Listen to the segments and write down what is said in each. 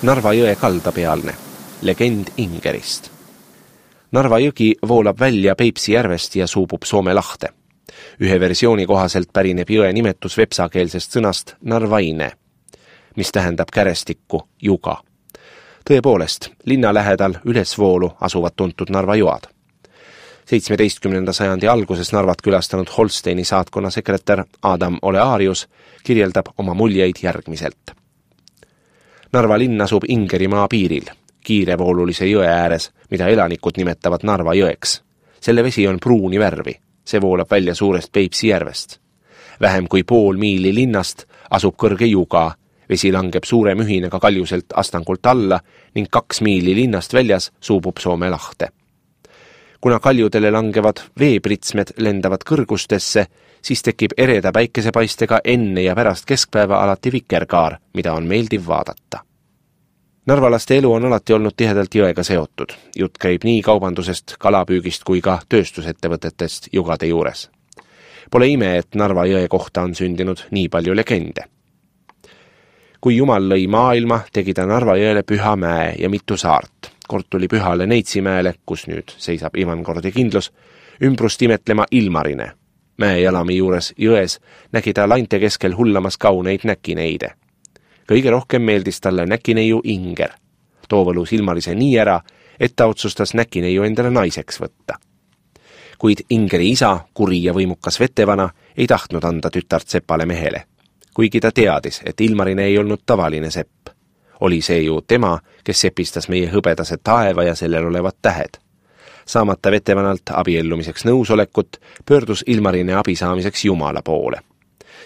Narva jõe kaldapealne, legend Ingerist. Narva jõgi voolab välja Peipsi järvest ja suubub Soome lahte. Ühe versiooni kohaselt pärineb jõe nimetus vepsakeelsest sõnast narvaine, mis tähendab kärestikku juga. Tõepoolest, linna lähedal ülesvoolu asuvad tuntud Narva joad. 17. sajandi alguses Narvat külastanud Holsteini saatkonna sekretär Adam Olearius kirjeldab oma muljeid järgmiselt. Narva linn asub Ingerimaa piiril, kiirevoolulise jõe ääres, mida elanikud nimetavad Narva jõeks. Selle vesi on pruuni värvi, see voolab välja suurest Peipsi järvest. Vähem kui pool miili linnast asub kõrge juga, vesi langeb suure mühinega kaljuselt astangult alla ning 2 miili linnast väljas suubub Soome lahte. Kuna kaljudele langevad veepritsmed lendavad kõrgustesse, siis tekib ereda päikesepaistega enne ja pärast keskpäeva alati vikerkaar, mida on meeldiv vaadata. Narvalaste elu on alati olnud tihedalt jõega seotud. Jutt käib nii kaubandusest, kalapüügist kui ka tööstusettevõtetest jugade juures. Pole ime, et Narva jõe kohta on sündinud nii palju legende. Kui Jumal lõi maailma, tegi ta Narva jõele püha mäe ja mitu saart. Kord tuli pühale Neitsimäele, kus nüüd seisab Ivankordi kindlus, ümbrust imetlema Ilmarine. Mäejalami juures jões nägi ta lainte keskel hullamas kauneid näkineide. Kõige rohkem meeldis talle näkineiu Inger. Too võlus Ilmarise nii ära, et ta otsustas näkineiu endale naiseks võtta. Kuid Ingeri isa, kuri ja võimukas vetevana, ei tahtnud anda tütart sepale mehele. Kuigi ta teadis, et Ilmarine ei olnud tavaline sepp. Oli see ju tema, kes sepistas meie hõbedase taeva ja sellel olevad tähed. Saamata vetevanalt abiellumiseks nõusolekut, pöördus Ilmarine abi saamiseks Jumala poole.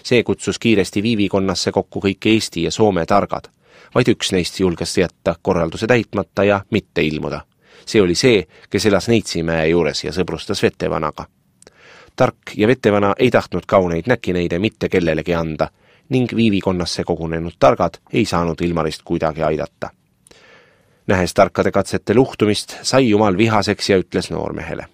See kutsus kiiresti viivikonnasse kokku kõik Eesti ja Soome targad. Vaid üks neist julges jätta korralduse täitmata ja mitte ilmuda. See oli see, kes elas Neitsimäe juures ja sõbrustas vetevanaga. Tark ja vetevana ei tahtnud kauneid näkineide mitte kellelegi anda, ning viivikonnasse kogunenud targad ei saanud Ilmarist kuidagi aidata. Nähes tarkade katsete luhtumist, sai Jumal vihaseks ja ütles noormehele.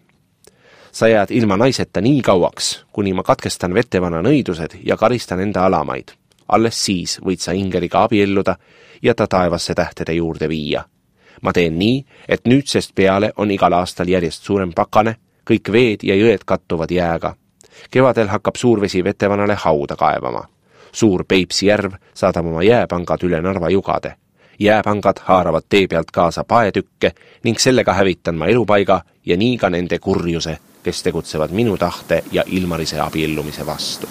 Sa jääd ilma naiseta nii kauaks, kuni ma katkestan vetevana nõidused ja karistan enda alamaid. Alles siis võid sa Ingeriga abielluda ja ta taevasse tähtede juurde viia. Ma teen nii, et nüüdsest peale on igal aastal järjest suurem pakane, kõik veed ja jõed kattuvad jääga. Kevadel hakkab suurvesi vetevanale hauda kaevama. Suur Peipsi järv saadab oma jääpangad üle Narva jugade. Jääpangad haaravad tee pealt kaasa paetükke ning sellega hävitan ma elupaiga ja nii ka nende kurjuse, kes tegutsevad minu tahte ja Ilmarise abiellumise vastu.